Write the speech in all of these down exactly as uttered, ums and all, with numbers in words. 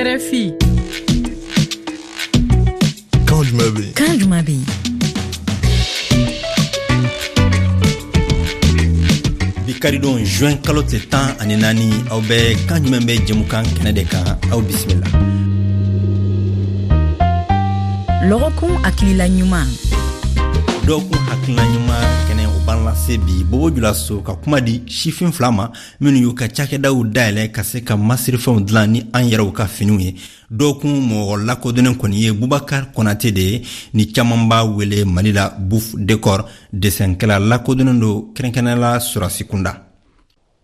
R F I. Kan jumɛn bɛ yen? Kan jumɛn bɛ yen? Bi karidon, juin kalo tile tan ani naani, aw bɛ Kan jumɛn bɛ jɛmukan kɛnɛ de kan. Aw bisimila. Lɔgɔkun hakilila ɲuman. Dɔgɔkun hakilina ɲuman kɛnɛ, o b'an lase bi Bobo Julaso ka kuma di sifin fila ma minnu y'u ka cakɛdaw dayɛlɛ ka se ka masirifɛnw dilan ni an yɛrɛw ka finiw ye. Dɔgɔkun mɔgɔ lakodɔnnen kɔni ye Bubakar Konate de ye, ni caaman b'a wele Mali la Bouf Décor. Desɛnkɛla lakodɔnnen don, kɛrɛnkɛrɛnnala sɔrasi kunda.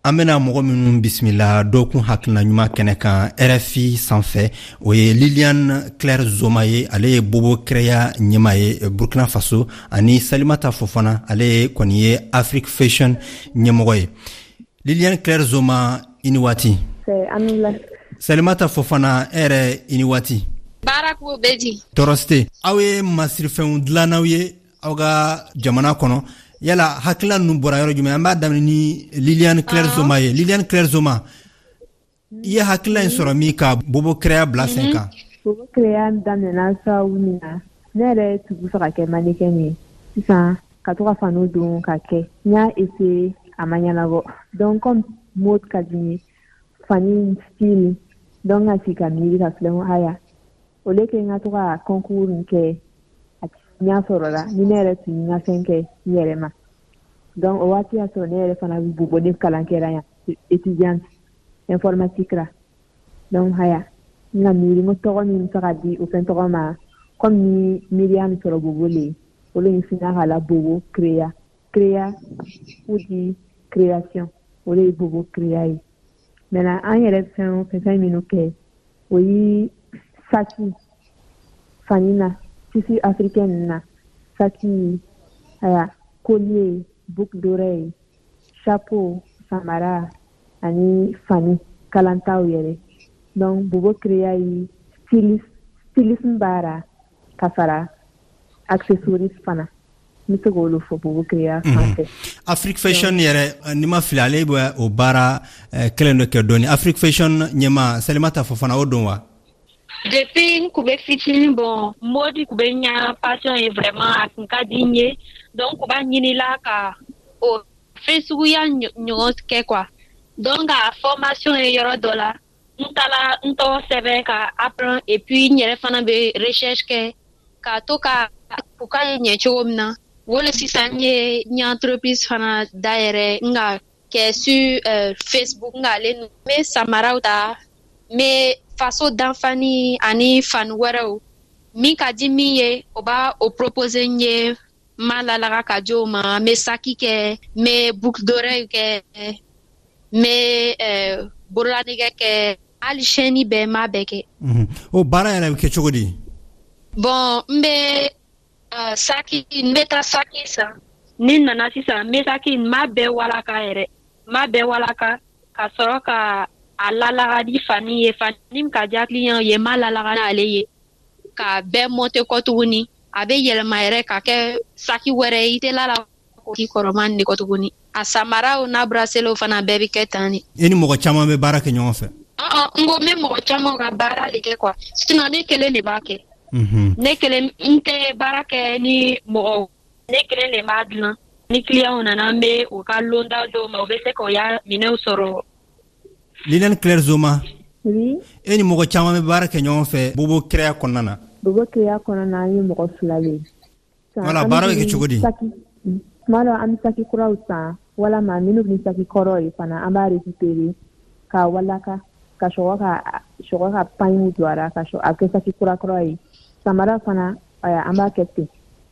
An bena mɔgɔ minnu bisimila dɔgɔkun hakilina ɲuman kɛnɛ kan R F I sanfɛ, o ye Liliane Claire Zoma ye, ale ye Bobo Kɛrɛya ɲɛma ye Burkina Faso, ani Salimata Fofana, ale kɔni ye Afrique Fashion ɲɛmɔgɔ ye. Liliane Claire Zoma, i ni waati. Salimata Fofana, e yɛrɛ, i ni waati. Baara ko bɛ di? Tɔɔrɔ si tɛ. Aw ye masirifɛnw dilannaw ye aw ka jamana kɔnɔ. Yala hakilina ninnu bɔra yɔrɔ jumɛn? An b'a daminɛ ni Liliane Claire Zoma ye. Liliane Claire Zoma, i ye hakilina in sɔrɔ min ka Bobo Kɛrɛya bila sen kan? Bobo Kɛrɛya daminɛna sababu min na, ne yɛrɛ tun bɛ fɛ ka kɛ mannequin ye. Sisan ka to ka faniw don ka kɛ, n y'a essayer, a ma ɲɛnabɔ. Donc comme mode ka di n ye, fani style, donc ka sigi ka miiri ka filɛ, n ko haya, au lieu que n ka to ka concours nin kɛ, a ɲɛ sɔrɔla ni ne yɛrɛ tun ye n ka fɛn kɛ n yɛrɛ ma. Donc o waati y'a sɔrɔ ne yɛrɛ fana bɛ Bobo, ne kalan kɛra yan, étudiante informatique la. Donc haya, n ka miiri n ko tɔgɔ min bɛ se ka di o fɛn tɔgɔ ma, comme ni miiriya min sɔrɔ Bobo le ye, o le finna k'a la Bobo Créa. Créa ou di création, o de ye Bobo Créa ye. Maintenant an yɛrɛ fɛn o fɛn fɛn minnu kɛ, o ye saki fani na, tissu africain ninnu na, saki aya, collier, boucle d'oreille, chapeau, samara ani fani kalantaw yɛrɛ. Donc Bobo Créa ye stylisme stylisme baara ka fara accessoires fana. N bɛ se k'olu fɔ Bobo Créa fan fɛ. Afrique Fashion yɛrɛ, ni ma fili, ale bɛ o baara kelen dɔ kɛ dɔɔni. Afrique Fashion ɲɛma Salimata Fofana, o don wa? Depuis n kun bɛ fitinin, bon, mode kun bɛ n ya passion ye vraiment, a kun ka di n ye. Donc kun b'a ɲinila ka o fɛn suguya ɲɔgɔn kɛ quoi. Donc a formation ye yɔrɔ dɔ la, n taala n tɔgɔ sɛbɛn ka apprendre, et puis n yɛrɛ fana bɛ recherche kɛ ka to ka u ka ye ɲɛ cogo min na. O le sisan n ye n ye entreprise fana dayɛlɛ, n ka kɛ sur euh, Facebook. N k'ale n bɛ samaraw ta, n bɛ faso danfani ani fani wɛrɛw min ka di min ye, o b'a o proposer n ye, n m'a lalaga ka di o ma. N bɛ saki kɛ, n bɛ boucle d'oreille kɛ, n bɛ euh, bololanɛgɛ kɛ, hali chaîne bɛɛ, n b'a bɛɛ kɛ. O baara yɛrɛ bɛ kɛ cogo di? Bon, n bɛ uh, saki, n bɛ taa saki san. Ni n nana sisan, n bɛ saki, n b'a bɛɛ walaka yɛrɛ, n b'a bɛɛ walaka ka sɔrɔ ka a lalaga ni fani ye, fani min ka diya client ye, n b'a lalaga n'ale ye ka bɛɛ monter kɔ tuguni. A bɛ yɛlɛma yɛrɛ ka kɛ saki wɛrɛ ye, i tɛ la la k'i kɔrɔma nin de kɔ tuguni. A samaraw n'a braceletw fana bɛɛ bɛ kɛ tan de. I ni mɔgɔ caman bɛ baara kɛ ɲɔgɔn fɛ? N ko n bɛ mɔgɔ caman ka baara de kɛ quoi, sinon ne kelen de b'a kɛ. Ne kelen, n tɛ baara kɛ ni mɔgɔ, ne kelen de b'a dilan. Ni client nana, n bɛ u ka londa dɔw ma, u bɛ se k'o ya minɛnw sɔrɔ. Liliane Claire Zoma. Oui. E ni mɔgɔ caman bɛ baara kɛ ɲɔgɔn fɛ Bobo Kɛrɛya kɔnɔna na? Bobo Créa kɔnɔna na, an ye mɔgɔ fila de ye. Wala, baara bɛ kɛ cogo di? Tuma dɔ an bɛ saki kuraw san, walama minnu bɛ saki kɔrɔ ye fana, an b'a récupérer k'a walaka ka sɔrɔ ka sɔrɔ ka pagne don a la ka sɔrɔ a kɛ saki kura kura ye. Samara fana, an b'a kɛ ten.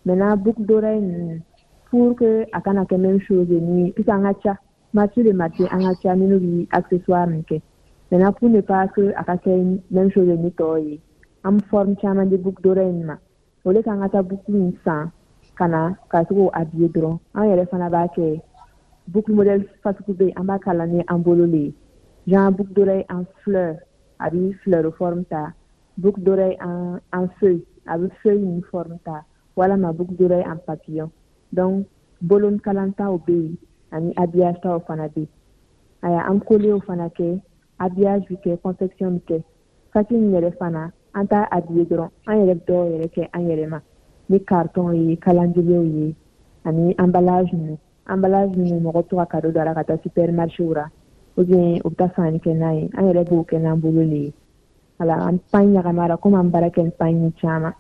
Maintenant boucle d'oreille ninnu, pour que a kana kɛ même chose ni, puisque an ka ca marché de marché, an ka ca minnu bɛ accessoire nin kɛ. Maintenant pour ne pas que a ka kɛ même chose ni tɔw ye, an bɛ forme caman di boucle d'oreille nin ma. Au lieu k'an ka taa boucle in san ka na ka se k'o habiller dɔrɔn, an yɛrɛ fana b'a kɛ boucle modèle fasugu bɛ yen, an b'a kala ni an bolo le ye. Genre boucle d'oreille en fleur, a bɛ fleur forme ta, boucle d'oreille en en feuille, a bɛ feuille nin forme ta, walama boucle d'oreille en papillon. Donc bolon kalantaw bɛ yen ani habillage taw fana bɛ yen. Aya, an collier fana kɛ, habillage bɛ kɛ, confection bɛ kɛ. Saki in yɛrɛ fana, an t'a habillé dɔrɔn, an yɛrɛ bɛ dɔw yɛrɛ kɛ an yɛrɛ ma ni carton ye, calendrier ye ani emballage ninnu. Emballage ninnu, mɔgɔ bɛ to ka cadeau don a la ka taa supermarché ra ou bien u bɛ taa sanni kɛ n'a ye. An yɛrɛ b'o kɛ n'an bolo le ye. Wala an pagne ɲagami a la, komi an baara kɛ ni pagne caman,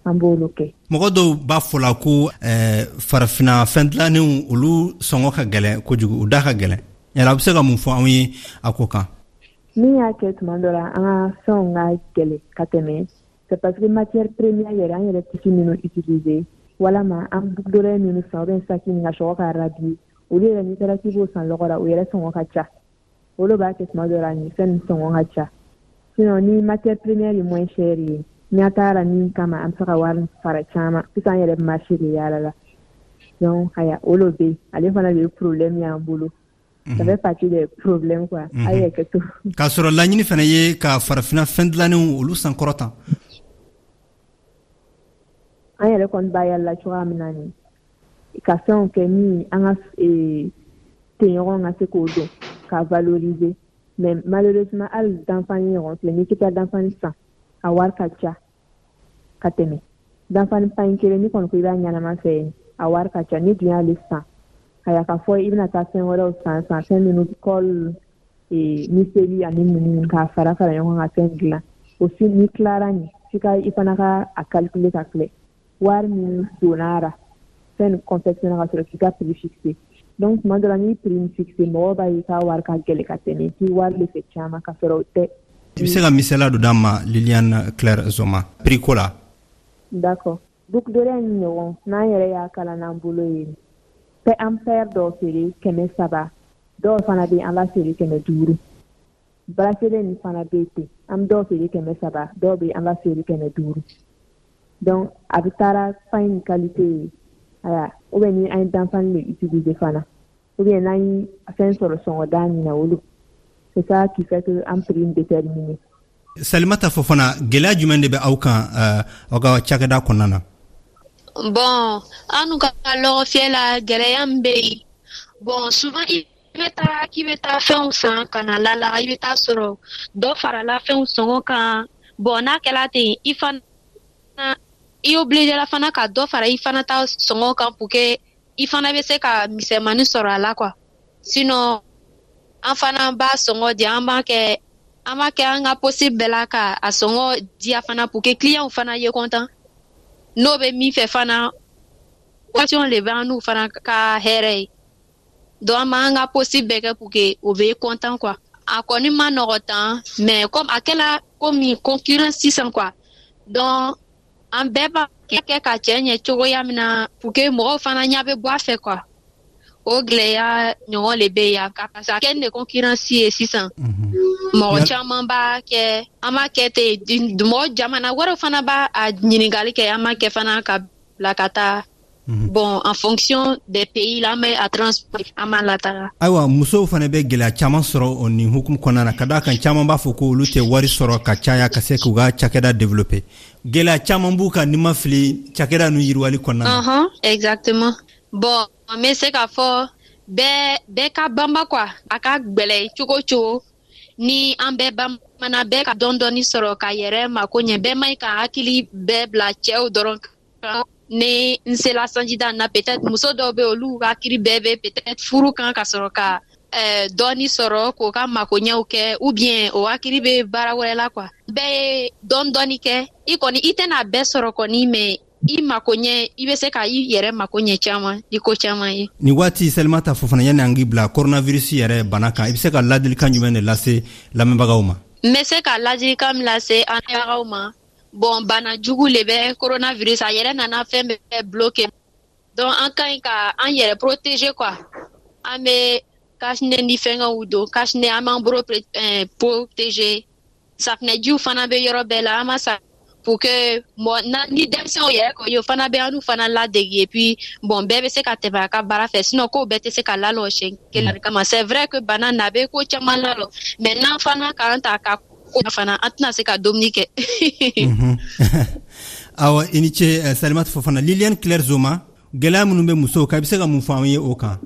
an b'olu kɛ. Mɔgɔ dɔw b'a fɔ la ko eh, farafina fɛn dilannenw, olu sɔngɔ ka gɛlɛn kojugu, u da ka gɛlɛn. Yala a bɛ se ka mun fɔ anw ye a ko kan? Min y'a kɛ tuma dɔ la an ka fɛnw ka gɛlɛn ka tɛmɛ, c'est parce que matière première yɛrɛ, an yɛrɛ tissu minnu utiliser walama an boucle d'oreille minnu san ou bien saki min ka sɔgɔ ka rhabiller, olu yɛrɛ, n'i taara k'i b'o san lɔgɔ la, o yɛrɛ sɔngɔ ka ca. O de b'a kɛ tuma dɔ la nin fɛn nin sɔngɔ ka ca. Sinon ni matière première ye moins cher ye, ɲɛ t'a la min kama an bɛ se ka wari fara caman. Sisan an yɛrɛ bɛ marché de yaala la. Donc haya, o de bɛ yen, ale fana de ye problème y'an bolo. Ça fait partie des problèmes quoi. A ye kɛ to. K'a sɔrɔ laɲini fana ye ka farafina fɛn dilannenw olu sankɔrɔta. An yɛrɛ kɔni b'a yala cogoya min na nin, ka fɛnw kɛ min an ka tɛɲɔgɔn ka se k'o dɔn ka valoriser. Mais malheureusement, hali danfani ɲɔgɔn filɛ, n'i k'i taa danfani san, a wari ka ca ka tɛmɛ. Danfani pagne kelen, n'i kɔni ko i b'a ɲɛnama fɛ yen, a wari ka ca. Ni dun y'ale san, a ka fɔ i bɛna taa fɛn wɛrɛw san san, fɛn minnu colle, miseli ani ninnu, k'a fara fara ɲɔgɔn kan ka fɛn dilan o si, ni tilara nin, f'i ka i fana ka a calculer ka filɛ wari min donna ra fɛn nin confectionner ka sɔrɔ k'i ka prix fixer. Donc tuma dɔ la, n'i prix nin fixer, mɔgɔw b'a ye k'a wari ka gɛlɛn ka tɛmɛ, k'i wari de fɛ caman, ka sɔrɔ o tɛ. I bɛ se ka misaliya dɔ d'an ma, Liliane Claire Zoma, prix ko la? D'accord. Boucle d'oreille ni ɲɔgɔn, n'an yɛrɛ y'a kala n'an bolo ye, an paire dɔw feere kɛmɛ saba, dɔw fana bɛ an b'a feere kɛmɛ duuru. Bracelet nin fana bɛ ten, an bɛ dɔw feere kɛmɛ saba, dɔw bɛ an b'a feere kɛmɛ duuru. Donc a bɛ taara pagne qualité ye aya, ou bien ni an ye danfani de utiliser fana, ou bien n'an ye fɛn sɔrɔ sɔngɔda min na, olu, c'est ça qui fait que an prix déterminé. Salimata Fofana, gɛlɛya jumɛn de bɛ aw kan aw ka cakɛda kɔnɔna na? Bon, an ka lɔgɔfiyɛ la, gɛlɛya min bɛ yen, bon, souvent i bɛ taa k'i bɛ taa fɛnw san ka na lala, i bɛ taa sɔrɔ dɔ farala fɛnw sɔngɔ kan. Bon, n'a kɛla ten, i fana i obligé la fana ka dɔ fara i fana ta sɔngɔ kan pour que i fana bɛ se ka misɛnmanin sɔrɔ a la quoi. Sinon an fana b'a sɔngɔ di, an b'a kɛ an b'a kɛ an ka possible bɛɛ la ka a sɔngɔ diya fana pour que client fana ye content. N'o bɛ min fɛ fana, occasion de bɛ an n'u fana ka hɛrɛ ye. Donc an b'an ka possible bɛɛ kɛ pour que o bɛ content quoi. A kɔni ma nɔgɔ tan, mais comme a kɛla komi concurrence sisan quoi, donc an bɛɛ b'a kɛ ka cɛ ɲɛ cogoya min na pour que mɔgɔw fana ɲɛ bɛ bɔ a fɛ quoi. O gɛlɛya ɲɔgɔn de bɛ yan, parce que a kɛ de concurrence ye sisan. Mɔgɔ caman b'a kɛ, an b'a kɛ ten, mɔgɔ jamana wɛrɛw fana b'a a ɲininkali kɛ, an b'a kɛ fana ka bila ka taa. Bon, en fonction des pays la, an bɛ a transport, an b'a lataga. Ayiwa, musow fana bɛ gɛlɛya caman sɔrɔ o nin hukumu kɔnɔna na, ka d'a kan caman b'a fɔ ko olu tɛ wari sɔrɔ ka caya ka se k'u ka cakɛda développer. Gɛlɛya caman b'u kan, ni ma fili, cakɛda nu yiriwali kɔnɔna na. uh -huh, exactement. Bon, an bɛ se k'a fɔ bɛɛ bɛɛ ka banba quoi. A ka gwɛlɛ cogo o cogo, ni an bɛɛ bamana, bɛɛ ka dɔɔni dɔɔni sɔrɔ ka yɛrɛ mako ɲɛ, bɛɛ man ɲi ka hakili bɛɛ bila cɛw dɔrɔn kan. Ni n sela sanjida na, peut-être muso dɔw bɛ, olu hakili bɛɛ bɛ peut-être furu kan ka sɔrɔ ka eh, dɔɔni sɔrɔ k'o ka makoɲɛw kɛ, ou bien o hakili bɛ baara wɛrɛ la quoi. Bɛɛ ye dɔɔni dɔɔni kɛ, i kɔni i tɛna bɛɛ sɔrɔ kɔni, mais i mako ɲɛ, i bɛ se ka i yɛrɛ mako ɲɛ caman ni ko caman ye. Nin waati, Salimata Fofana, yanni an k'i bila coronavirus yɛrɛ bana kan, i bɛ se ka ladilikan jumɛn de lase lamɛnbagaw ma? N bɛ se ka ladilikan min lase an lamɛnbagaw ma, bon, bana jugu le bɛ coronavirus, a yɛrɛ nana fɛn bɛɛ bloqué. Donc an ka ɲi ka an yɛrɛ protéger quoi. An bɛ cache-nez ni fɛngɛw don, cache-nez, an b'an bolo protéger, safunɛjiw fana bɛ yɔrɔ bɛɛ la, an ma sa pour que mɔ na ni denmisɛnw yɛrɛ ko ye, o fana bɛ an n'u fana ladege. Et puis bon, bɛɛ bɛ se ka tɛmɛ a ka baara fɛ, sinon kow bɛɛ tɛ se ka lalɔ siɲɛ kelen kama. C'est vrai que bana na a bɛ ko caman lalɔ, mais n'an fana k'an ta ka ko fana, an tɛna se ka dumuni kɛ. Awa, i ni ce, Salimata Fofana. Liliane Claire Zoma, gɛlɛya minnu bɛ musow kan, i bɛ se ka mun fɔ an ye o kan?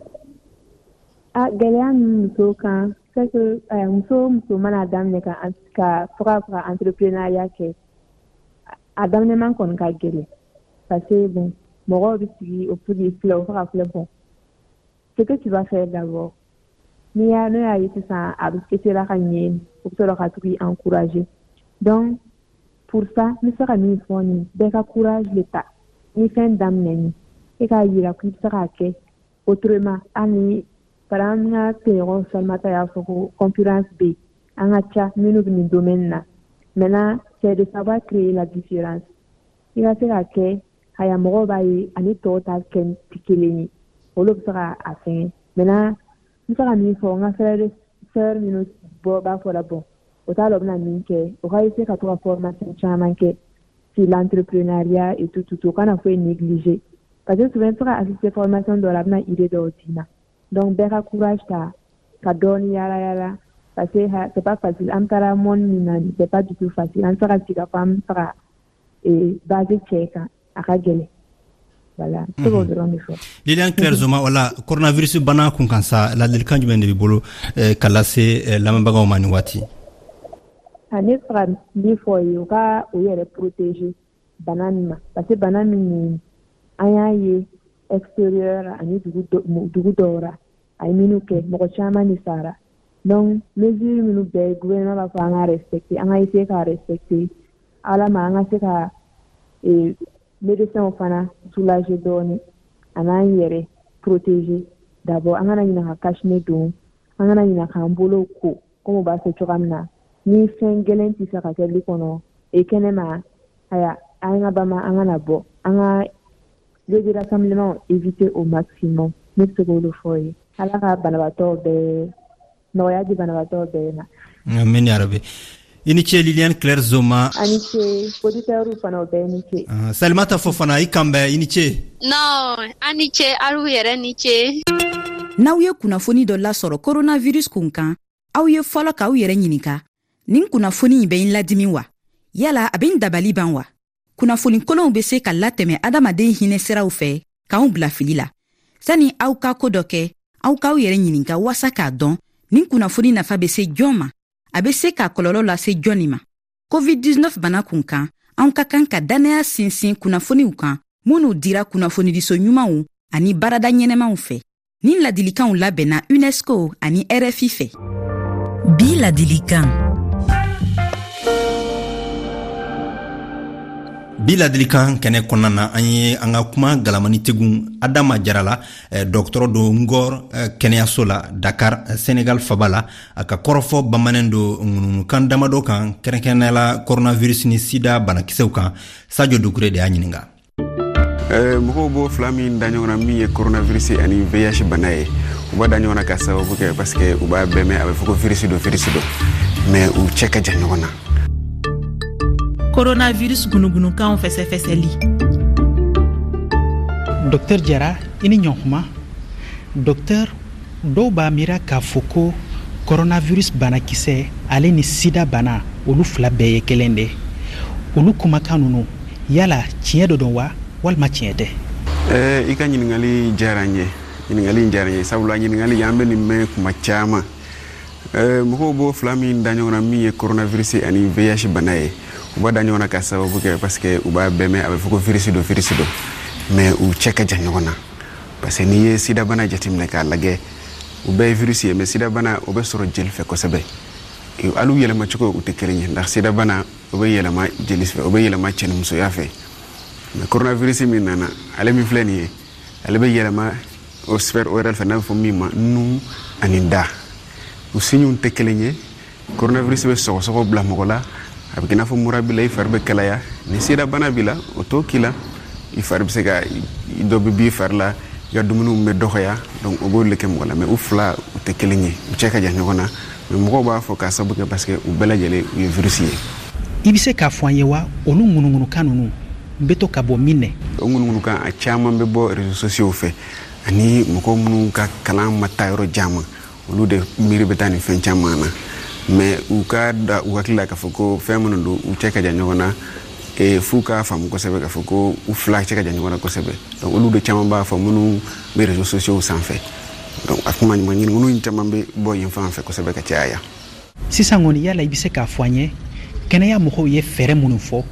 A gɛlɛya min musow kan C'est que euh, muso muso mana daminɛ ka ka fo ka fɔ ka entrepreneuriat kɛ, a daminɛman kɔni ka gɛlɛn, parce que bon, mɔgɔw bɛ sigi o pour filɛ, o fo ka filɛ, bon, ce que tu vas faire d'abord, n'i y'a n'o y'a ye sisan a bɛ sera ka ɲɛ, o bɛ sɔrɔ ka to k'i encourager. Donc pour ça, n bɛ se ka min fɔ nin, bɛɛ ka courage de ta. Ni fɛn daminɛ ni e k'a yira k'i bɛ se k'a kɛ autrement, hali ni par exemple n ka tɔɲɔgɔn Salimata y'a fɔ ko concurrence bɛ yen, an ka ca minnu bɛ nin domaine na. Maintenant, c'est de savoir créer la différence. I ka se ka kɛ haya, mɔgɔw b'a ye ani tɔw ta kɛ tɛ kelen ye, olu bɛ se ka a fɛngɛ. Maintenant, n bɛ se ka min fɔ n ka frère, sœur minnu bɔ b'a fɔ la, bon, o t'a dɔn u bɛna min kɛ, o ka essayer ka to ka formation caman kɛ sur l'entrepreneuriat et tout tout tout, o kana foyi négliger, parce que souvent i bɛ se ka assister formation dɔ la, a bɛna idée dɔw d'i ma. Donc bɛɛ ka courage ta ka dɔɔni yala yala, parce que c'est pas facile. An taara monde min na, c'est pas du tout facile. An tɛ se ka sigi ka fɔ an bɛ fɛ ka base cɛ kan, a ka gɛlɛn. Voilà, n bɛ se k'o dɔrɔn de fɔ. Liliane Claire Zoma, wala coronavirus bana kun kan sa, ladilikan jumɛn de b'i bolo ka lase lamɛnbagaw ma nin waati? A ne fɛ ka min fɔ ye, u ka u yɛrɛ protéger bana nin ma, parce que bana min nin, an y'a ye extérieur ani dugu dugu dɔw ra, a ye minnu kɛ, mɔgɔ caman de sara. Donc mesure minnu bɛɛ gouvernement b'a fɔ an ka respecter, an ka essayer k'a respecter. Ala ma an ka se ka médecins fana soulager dɔɔni, a n'an yɛrɛ protéger d'abord. An kana ɲinɛ ka cache-nez don, an kana ɲinɛ k'an bolow ko komi u b'a fɔ cogoya min na. Ni fɛn gɛlɛn tɛ se ka kɛ du kɔnɔ e kɛnɛma, aya, an ka bama, an kana bɔ, an ka lieu de rassemblement éviter au maximum. Ne bɛ se k'o de fɔ ye. Ala ka banabaatɔ bɛɛ nɔgɔya di, banabaatɔ bɛɛ ma. Amin ya rabi. I ni ce, Liliane Claire Zoma. A ni ce, auditeurs fana, o bɛɛ ni ce. Salimata Fofana, i kan bɛn, i ni ce. Non, a ni ce, alu yɛrɛ ni ce. N'aw ye kunnafoni dɔ lasɔrɔ coronavirus kun kan, aw ye fɔlɔ k'aw yɛrɛ ɲininka: nin kunnafoni in bɛ n ladimi wa, yala a bɛ n dabali ban wa? Kunnafoni kolonw bɛ se ka latɛmɛ adamaden hinɛ siraw fɛ k'anw bila fili la. Sani aw ka ko dɔ kɛ, aw k'aw yɛrɛ ɲininka waasa k'a dɔn nin kunnafoni nafa bɛ se jɔn ma, a bɛ se ka kɔlɔlɔ lase jɔnni ma. covid dix-neuf bana kun kan, anw ka kan ka dannaya sinsin kunnafoniw kan minnu dira kunnafonidiso ɲumanw ani baarada ɲɛnɛmaw fɛ. Nin ladilikanw labɛnna UNESCO ani R F I fɛ. Bi ladilikan. Bi ladilikan kɛnɛ kɔnɔna na, an ye an ka kuma galamani tegun Adama Jara la, dɔgɔtɔrɔ don Ngor kɛnɛyaso la Dakar, Senegal faba la. A ka kɔrɔfɔ bamanen don ŋunuŋunukan damadɔ kan, kɛrɛnkɛrɛnnenya la coronavirus ni sida banakisɛw kan. Sadio Dukure de y'a ɲininka. Mɔgɔw b'o fila min da ɲɔgɔn na, min ye coronavirus ani V I H bana ye, u b'a da ɲɔgɔn na ka sababu kɛ parce que u b'a bɛɛ mɛn, a bɛ fɔ ko virus don, virus don, mais u cɛ ka jan ɲɔgɔn na. Coronavirus gunugunukanw fɛsɛfɛsɛli. Docteur Jara, i ni ɲɔgɔnkuma. Docteur, dɔw b'a miira k'a fɔ ko coronavirus banakisɛ ale ni sida bana, olu fila bɛɛ ye kelen de. Olu kumakan ninnu, yala tiɲɛ dɔ don wa, walima tiɲɛ tɛ? Ɛɛ, i ka ɲininkali diyara n ye, ɲininkali in diyara n ye, sabula ɲininkali an bɛ nin mɛn kuma caman. Ɛɛ, mɔgɔw b'o fila min da ɲɔgɔn na, min ye coronavirus ani V I H bana ye, u b'a da ɲɔgɔn na ka sababu kɛ parce que u b'a bɛɛ mɛn, a bɛ fɔ ko virus don, virus don, mais u cɛ ka jan ɲɔgɔn na, parce que n'i ye sida bana jateminɛ k'a lajɛ, u bɛɛ ye virus ye, mais sida bana o bɛ sɔrɔ jeli fɛ kosɛbɛ. Hali u yɛlɛmacogo u tɛ kelen ye, nka sida bana o bɛ yɛlɛma jeli fɛ, o bɛ yɛlɛma cɛnimusoya fɛ. Mais coronavirus min nana, ale min filɛ nin ye, ale bɛ yɛlɛma o sphère orale fɛ, n'a bɛ fɔ min ma nun ani da. U signes tɛ kelen ye. Coronavirus bɛ sɔgɔsɔgɔ bila mɔgɔ la, a bɛ kɛ i n'a fɔ mura b'i la, i fari bɛ kalaya. Ni sida bana b'i la, o t'o k'i la, i fari bɛ se ka dɔ bɛ b'i fari la, i ka dumuniw bɛ dɔgɔya, donc o b'olu de kɛ mɔgɔ la. Mais u fila u tɛ kelen ye, u cɛ ka jan ɲɔgɔn na, mais mɔgɔw b'a fɔ k'a sababu kɛ parce que u bɛɛ lajɛlen u ye virus ye. I bɛ se k'a fɔ an ye wa, olu ŋunuŋunukan ninnu bɛ to ka bɔ min nɛ? O ŋunuŋunukan a caman bɛ bɔ réseaux sociaux fɛ, ani mɔgɔ minnu ka kalan ma taa yɔrɔ jan ma, olu de miiri bɛ taa nin fɛn caman na. Mais u ka da u hakili la k'a fɔ ko fɛn minnu don, u cɛ ka jan ɲɔgɔn na, e f'u k'a faamu kosɛbɛ k'a fɔ ko u fila cɛ ka jan ɲɔgɔn na kosɛbɛ. Donc olu de caman b'a fɔ minnu bɛ réseaux sociaux sanfɛ. Donc a kuma ɲuman ɲininkaliw in caman bɛ bɔ yen fan fɛ kosɛbɛ ka caya. Sisan kɔni, yala i bɛ se k'a fɔ an ye kɛnɛya mɔgɔw ye fɛɛrɛ minnu fɔ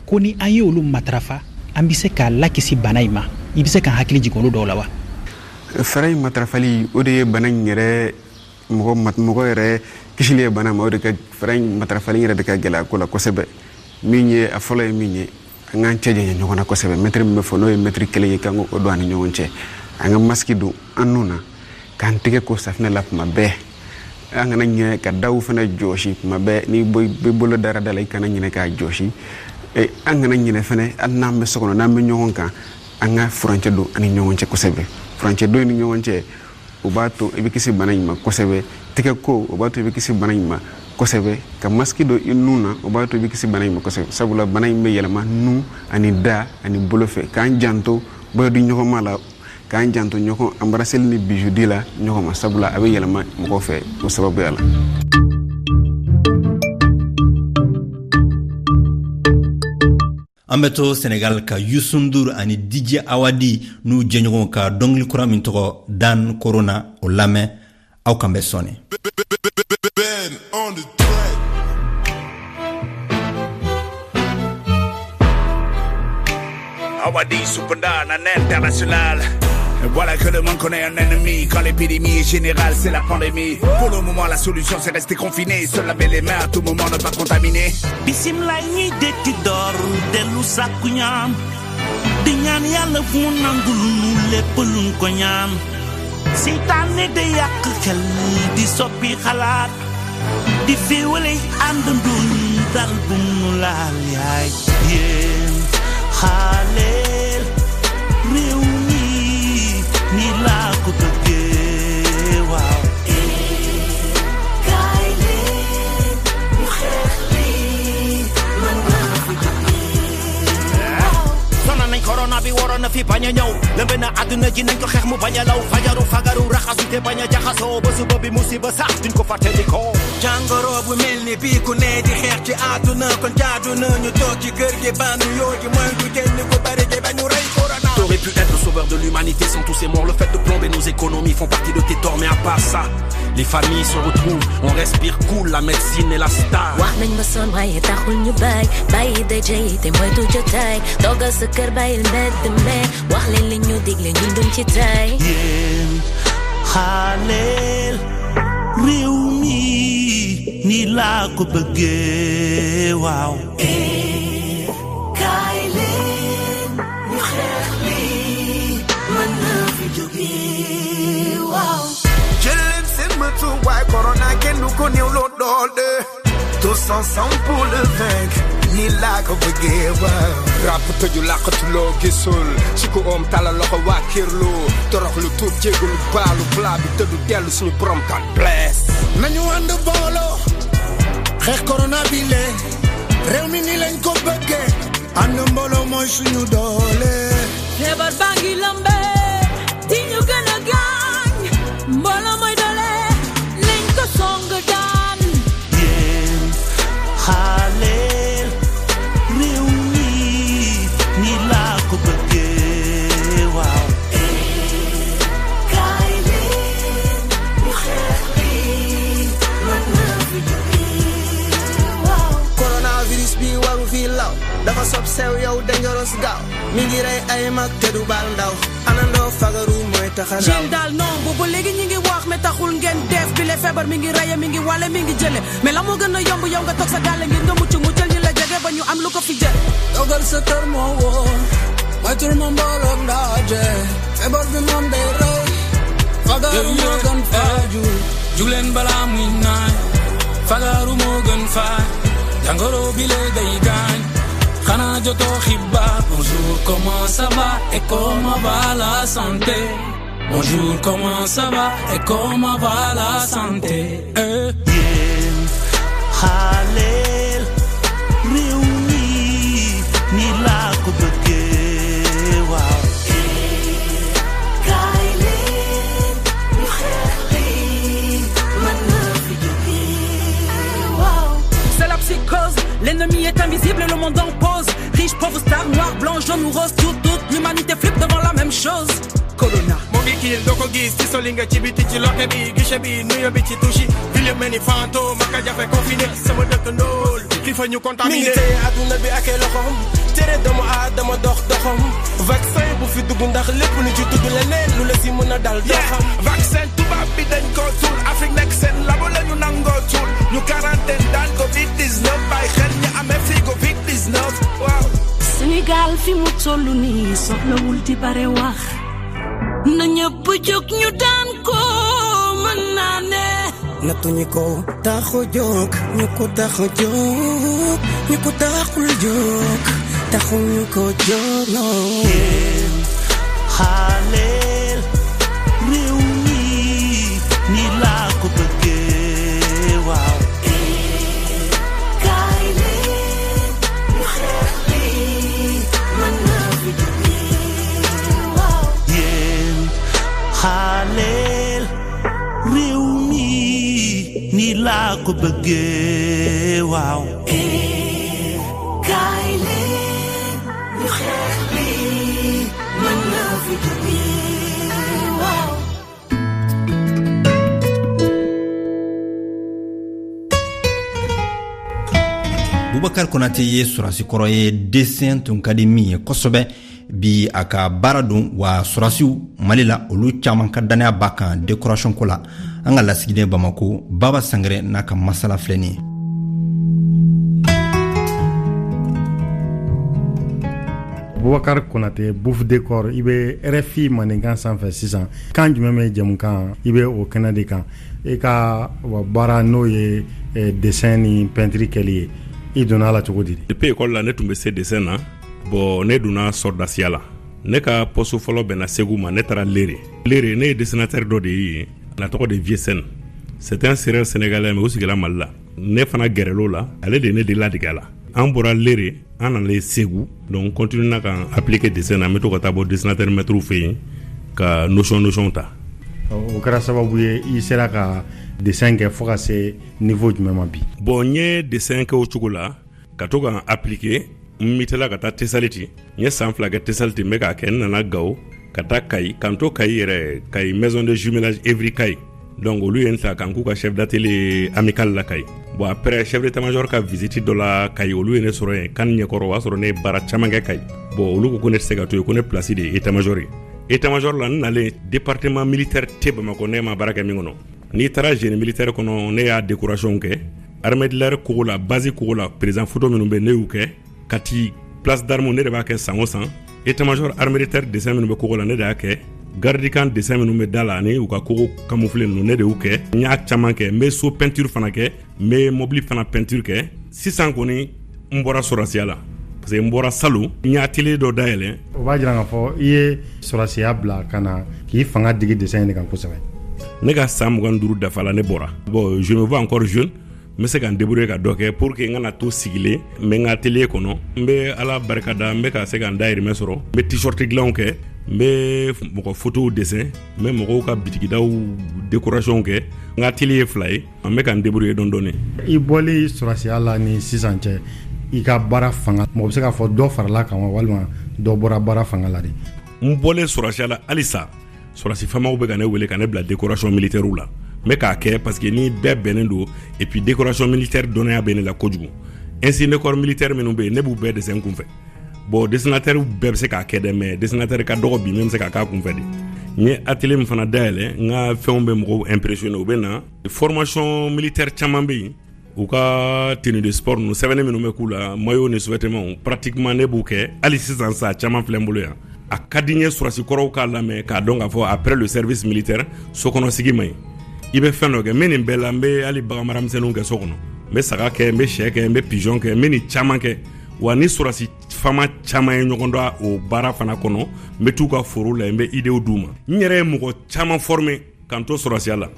ko ni an ye olu matarafa, an bɛ se k'a lakisi bana in ma, i bɛ se ka hakili jigin olu dɔw la wa? Fɛɛrɛ in matarafali, o de ye bana in yɛrɛ mɔgɔ mɔgɔ yɛrɛ kisili ye bana ma. O de ka fɛɛrɛ in matarafali yɛrɛ de ka gɛlɛ a ko la kosɛbɛ. Min ye a fɔlɔ ye min ye, an k'an cɛ janya ɲɔgɔn na kosɛbɛ. Mɛtiri min bɛ fɔ n'o ye mɛtiri kelen ye, k'an k'o don an ni ɲɔgɔn cɛ. An ka masiki don an nun na, k'an tɛgɛ ko safinɛ la tuma bɛɛ. An kana ɲinɛ ka daw fana jɔsi tuma bɛɛ. N'i bɛ bolo dara da la, i kana ɲinɛ k'a jɔsi. An kana ɲinɛ fana, hali n'an bɛ so kɔnɔ, n'an bɛ ɲɔgɔn kan, an ka furancɛ don an ni ɲɔgɔn cɛ kosɛbɛ. Furancɛ don ni ɲɔgɔn cɛ, o b'a to i bɛ kisi bana in ma kosɛbɛ. Tɛgɛ ko, o b'a to i bɛ kisi bana in ma kosɛbɛ. Ka masiki don i nun na, o b'a to i bɛ kisi bana in ma kosɛbɛ, sabula bana in bɛ yɛlɛma nun ani da ani bolo fɛ. K'an janto bolo di ɲɔgɔn ma la, k'an janto ɲɔgɔn embrasser ni bijou di la ɲɔgɔn ma, sabula a bɛ yɛlɛma mɔgɔ fɛ o sababuya la. An bɛ to Senegal ka Youssou N'Dour ani D J Awadi n'u jɛɲɔgɔnw ka dɔnkili kura min tɔgɔ Dan Corona, o lamɛn. Aw kan bɛ sɔɔni. Ben on the track. Awadi Supanda, un international. Voilà que le monde connaît un ennemi. Quand l'épidémie est générale, c'est la pandémie. Pour le moment, la solution, c'est rester confiné. Se laver les mains à tout moment, ne pas contaminer. Bisimilaay ñuy dekki door dellu sàkku ñaan di ñaan yàlla fu mu nangul nu lépp luñ ko ñaan. Seytaane de yàq xel di soppi xalaat di féewale àndandoo ñu dal bu mu laal yaay yéen xaaleel réew mi ni laa ko bëggee waaw. Kaay leen ñu xeex lii mën na fi jógee. Sonal nañ corona bi, waroon na fi bañ a ñëw, lëmbe na àdduna ji, nañ ko xeex mu bañ a law. Fajaru fagaru raxasu te bañ a jaxasoo ba suba bi musiba sax duñ ko fàttalikoo. Jàngoro bu mel ni bii ku ne di xeex ci àdduna, kon jaadu na ñu toog ci kër gi bandu yoo gi moytu génn ko bari gi ba ñu rey corona. T'aurais pu être le sauveur de l'humanité sans tous ces morts. Le fait de plomber nos économies font partie de tes torts. Mais à part ça, les familles se retrouvent, on respire cool, la médecine est la star. Wax nañ ba sonn waaye taxul ñu bàyyi bàyyi daje yi te moytu jotaay toogal sa kër bàyyil mbedd me wax leen li ñu digle ñun duñ ci tay. Yéen xaaleel réew mi ni laa ko bëggee waaw. Kaay leen ñu xeex lii mën na fi jógee waaw. Jël leen seen matuwaay, corona kenn du ko néew loo doole. Tous ensemble pour le vaincre, ni laa ko bëggee waaw. Rap tëju làqatu loo gisul ci ku oom talal loxo waa kirlu torox lu tuub jégalu baalu plat bi tëddu dellu suñu borom kan bless. Nañu ànd booloo xeex corona bi le réew mi ni lañ ko bëggee ànd mbooloo mooy suñu doole. Feebar baa ngi lëmbe di ñu gën a gaañ mbooloo mooy doole nañ ko song daan. Yéen xaaleel réew mi ni laa ko bëggee waaw. Kaay leen ñu xeex lii mën na fi jógee waaw. Coronavirus bi waru fi law dafa sob sew yow dangerous gaaw mi ngi rey ay mag te du baal ndaw anandoo fagaru mooy tax a raw. Jin daal non boobu léegi ñi ngi wax mais taxul ngeen def bi le feebar mi ngi reye mi ngi wale mi ngi jële mais la moo gën a yomb yow nga toog sa gàlle ngir nga mucc muccal ñi la jege ba ñu am lu ko fi jël. Toogal sa kër moo wóor moytul ma mbooloog ndaje feebar bi moom day rey fagaru moo gën faju. Jugleen balaa muy naaj fagaru moo gën faj jàngoro bi le day gaañ xanaa jotoo xibaar. Bonjour, comment ça va et comment va la santé? Bonjour, comment ça va et comment va la santé? Eh. Yéen xaaleel réew mi ni laa ko bëggee waaw. Kaay leen ñu xeex lii mën na fi jógee waaw. C'est la psychose, l'ennemi est invisible et le monde en pause. Riche, pauvre, star, noir, blanc, jaune ou rose, tout, toute l'humanité flippe devant la même chose. Corona. Moo Bikil doo ko gis ci soli nga ci biti ci loke bi guichet bi nuyo bi ci touche ville mel ni fantôme maka jafe confiné sama dëkkandool ki fa ñu contaminé. Mi ngi téye adduna bi ak loxoom tere doomu aadama dox doxam vaccin bu fi dugg ndax lépp lu ci tudd leneen lu la si mën a dal doxam. Vaccin tubaab bi dañ ko suul Afrique nekk seen labo la ñu nangoo suul ñu quarantaine daan covid dix-neuf bàyyi xel ñu amee fi covid dix-neuf waaw. Sénégal fi mu tollu nii soxlawul di bare wax na ñëpp jóg ñu daan ko mën naa ne. Nattuñu ko taxu jóg ñu ko taxu jóg ñu ko taxul jóg taxul ñu ko jóg non. Xaaleel réew mi ni laa ko bëggee waaw. Kaay leen ñu xeex lii mën na fi jógee waaw. Yéen xaaleel réew mi ni laa ko bëggee waaw. Kaay leen ñu xeex lii mën na fi jógee waaw. Boubacar Konate ye sɔrɔsi kɔrɔ ye dessin tun ka di min ye kosɛbɛ bi a ka baara don wa sɔrɔsiw Mali la olu caman ka dannaya b'a kan décoration ko la. An ka lasigiden Bamako Baba Sangare n'a ka masala filɛ nin ye. Boubacar Konate Bouf Décor i bɛ R F I mandenkan sanfɛ sisan kan jumɛn bɛ jɛmukan i bɛ o kɛnɛ de kan e ka baara n'o ye dessin ni peinture kɛli ye i donna a la cogo di? Depuis école la ne tun bɛ se dessin na bon ne donna sɔrɔdasiya la ne ka poste fɔlɔ bɛnna Segu ma ne taara Lere Lere ne ye dessinateur dɔ de ye a tɔgɔ de Vieux Sène c'est un sérère sénégalais mais o sigila Mali la ne fana gɛrɛl'o la ale de ye ne de ladege a la an bɔra Lere an nana Segu donc continue na ka appliquer dessin na n bɛ to ka taa bɔ dessinateur maître fɛ yen ka notion notion ta. O kɛra sababu ye i sera ka dessin kɛ fo ka se niveau jumɛn ma bi? Bon n ye dessin kɛ o cogo la ka to ka appliquer n mitela ka taa Tesaliti n ye san fila kɛ Tesaliti n bɛ k'a kɛ n nana Gawo ka taa Kayi ka n to Kayi yɛrɛ Kayi maison de jumelage Evry Kayi donc olu ye n ta ka n k'u ka chef d'atelier amical la Kayi bon après chef d'état-major ka visite dɔ la Kayi olu ye ne sɔrɔ yen kan ɲɛkɔrɔ o y'a sɔrɔ ne ye baara caman kɛ Kayi bon olu ko ko ne tɛ se ka to yen ko ne place de ye état-major ye état-major la n nalen département militaire tɛ Bamakɔ ne ma baara kɛ min kɔnɔ n'i taara génie militaire kɔnɔ ne y'a décoration kɛ armée de l'air kogo la base kogo la président photo minnu bɛ ne y'u kɛ Kati place d'armes ne de b'a kɛ san o san état-major armée de terre dessin minnu bɛ kogo la ne de y'a kɛ garde camp dessin minnu bɛ da la ani u ka kogo camouflé ninnu ne de y'u kɛ n y'a caman kɛ n bɛ so peinture fana kɛ n bɛ mobili fana peinture kɛ sisan kɔni n bɔra sɔrɔsiya la parce que n bɔra salon n ye atelier dɔ dayɛlɛ. O b'a jira k'a fɔ i ye sɔrɔsiya bila ka na k'i fanga digi dessin in de kan kosɛbɛ. Ne ka san mugan ni duuru dafa la ne bɔra bon je me vois encore jeune n bɛ se ka n débrouiller ka dɔ kɛ pour que n kana to sigilen n bɛ n ka atelier kɔnɔ n bɛ Ala barika da n bɛ ka se ka n dahirimɛ sɔrɔ n bɛ t-shirt dilanw kɛ n bɛ mɔgɔ photow dessin n bɛ mɔgɔw ka bitigidaw décoration kɛ n ka atelier ye fila ye n bɛ ka n débrouiller dɔɔni dɔɔni. I bɔli sɔrɔsiya la ni sisan cɛ i ka baara fanga mɔgɔ bɛ se k'a fɔ dɔ farala kan wa walima dɔ bɔra baara fanga la de? N bɔlen sɔrɔsiya la halisa sɔrɔsi faamaw bɛ ka ne wele ka ne bila décoration militaire la n bɛ k'a kɛ parce que ni bɛɛ bɛnnen don et puis décoration militaire dɔnniya bɛ ne la kojugu insigne de corps militaire minnu bɛ yen ne b'u bɛɛ dessin kunfɛ bon dessinateur bɛɛ bɛ se k'a kɛ dɛ mais dessinateur ka dɔgɔ bi min bɛ se k'a k'a kunfɛ de n ye atelier min fana dayɛlɛ n ka fɛnw bɛ mɔgɔw impressionner u bɛ na formation militaire caman bɛ yen u ka tenue de sport ninnu sɛbɛnni minnu bɛ k'u la maillot ni sous-vêtements pratiquement ne b'u kɛ hali sisan sa caman filɛ n bolo yan a ka di n ye sɔrɔsi kɔrɔw k'a lamɛn k'a dɔn k'a fɔ après le service militaire sokɔnɔsigi man ɲi i bɛ fɛn dɔ kɛ n bɛ nin bɛɛ la n bɛ hali baganmara misɛnninw kɛ so kɔnɔ n bɛ saga kɛ n bɛ sɛ kɛ n bɛ pigeon kɛ n bɛ nin caman kɛ wa ni sɔrɔsi faama caman ye ɲɔgɔn dɔn o baara fana kɔnɔ n bɛ t'u ka foro la n bɛ idéew d'u ma n yɛrɛ ye mɔgɔ caman former k'an to sɔrɔsiya la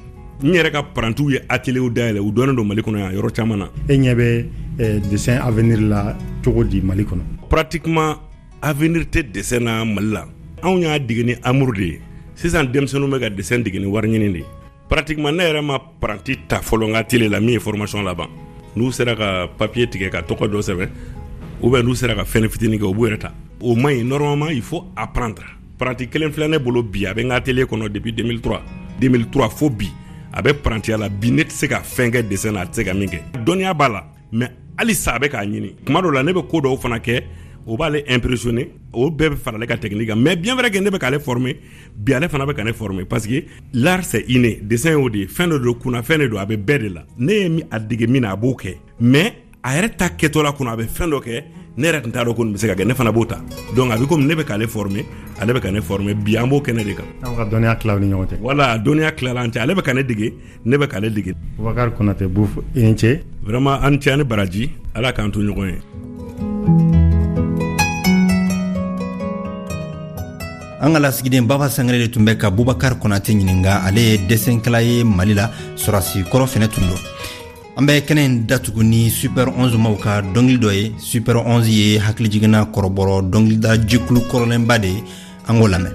n yɛrɛ ka parantiw ye atelier dayɛlɛ u dɔnnen don Mali kɔnɔ yan yɔrɔ caman na. E ɲɛ bɛ dessin avenir la cogo di Mali kɔnɔ? Pratiquement avenir tɛ dessin na Mali la anw y'a dege ni amour de ye sisan denmisɛnninw bɛ ka dessin dege ni wari ɲini de ye pratiquement ne yɛrɛ ma paranti ta fɔlɔ n ka atelier la min ye formation laban n'u sera ka papier tigɛ ka tɔgɔ dɔ sɛbɛn ou bien n'u sera ka fɛn fitinin kɛ u b'u yɛrɛ ta o man ɲi normalement il faut apprendre Paranti kelen filɛ ne bolo bi, a bɛ n ka atelier kɔnɔ depuis deux mille trois. deux mille trois fo bi, a bɛ parantiya la. Bi ne tɛ se ka fɛn kɛ dessin na, a tɛ se ka min kɛ. Dɔnniya b'a la, mais halisa a bɛ k'a ɲini. Kuma dɔw la ne bɛ ko dɔw fana kɛ, o b'ale impressionner, o bɛɛ bɛ fara ale ka technique kan. Mais bien vrai que ne bɛ k'ale former bi, ale fana bɛ ka ne former, parce que l'art c'est inné. Dessin y'o de ye, fɛn dɔ don, kunnafɛn de don, a bɛ bɛɛ de la. Ne ye a dege min na, a b'o kɛ, mais a yɛrɛ ta kɛtɔ la kɔnɔ, a bɛ fɛn dɔ kɛ ne yɛrɛ tun t'a dɔn ko nin bɛ se ka kɛ, ne fana b'o ta. Donc a bɛ komi ne bɛ k'ale former, ale bɛ ka ne former. Bi an b'o kɛnɛ de kan. Aw ka dɔnniya tila aw ni ɲɔgɔn cɛ. Voilà, dɔnniya tilala an cɛ, ale bɛ ka ne dege, ne bɛ k'ale dege. Bubakari Konate Buf, i ni ce. Vraiment an cɛ ani baraji, Ala k'an to ɲɔgɔn ye. An ka lasigiden Baba Sangare de tun bɛ ka Bubakari Konate ɲininka. Ale ye dɛsɛnkɛla ye Mali la, sɔrɔsi kɔrɔ fɛnɛ tun don. An bɛ kɛnɛ in datugu ni Super onze maw ka dɔnkili dɔ ye. Super onze ye hakilijiginna kɔrɔbɔrɔ dɔnkilida jɛkulu kɔrɔlenba de ye. An k'o lamɛn.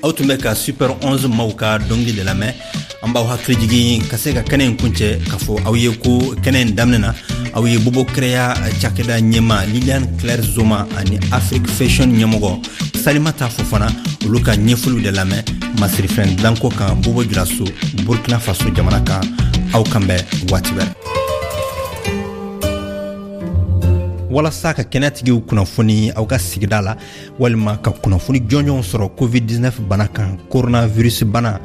Aw tun bɛ ka Super onze maw ka dɔnkili de lamɛn. An b'aw hakili jigin ka se ka kɛnɛ in kuncɛ k'a fɔ aw ye ko kɛnɛ in daminɛ na, aw ye Bobo Kɛrɛya cakɛda ɲɛma Liliane Claire Zoma ani Afrique Fashion ɲɛmɔgɔ Salimata Fofana, olu ka ɲɛfɔliw de lamɛn masirifɛn dilanko kan Bobo Julaso, Burkina Faso jamana kan. Aw kan bɛn waati wɛrɛ. Walasa ka kɛnɛyatigiw kunnafoni aw ka sigida la, walima ka kunnafoni jɔnjɔnw sɔrɔ covid dix-neuf bana kan, coronavirus bana,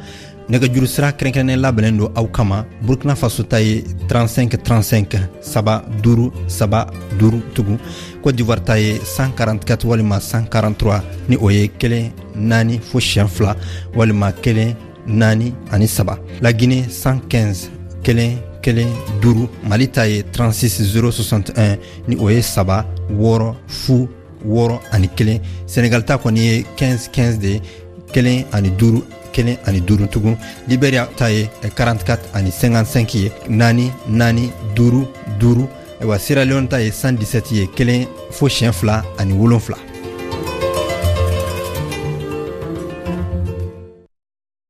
nɛgɛjuru sira kɛrɛnkɛrɛnnen labɛnnen don aw kama. Burkina Faso ta ye trente-cinq trente-cinq saba duuru saba duuru tugun. Côte d'Ivoire ta ye cent quarante-quatre walima cent quarante-trois, ni o ye kelen naani fo siɲɛ fila walima kelen naani ani saba. La Guinée cent quinze kelen kelen duuru. Mali ta ye trente-six zéro soixante et un, ni o ye saba wɔɔrɔ fu wɔɔrɔ ani kelen. Senegal ta kɔni ye quinze quinze de ye, kelen ani duuru kelen ani duuru tugun. Liberia ta ye quarante-quatre ani cinquante-cinq ye, naani naani duuru duuru. Ayiwa, Sierra Leone ta ye cent dix-sept ye, kelen fo siɲɛ fila ani wolonfila.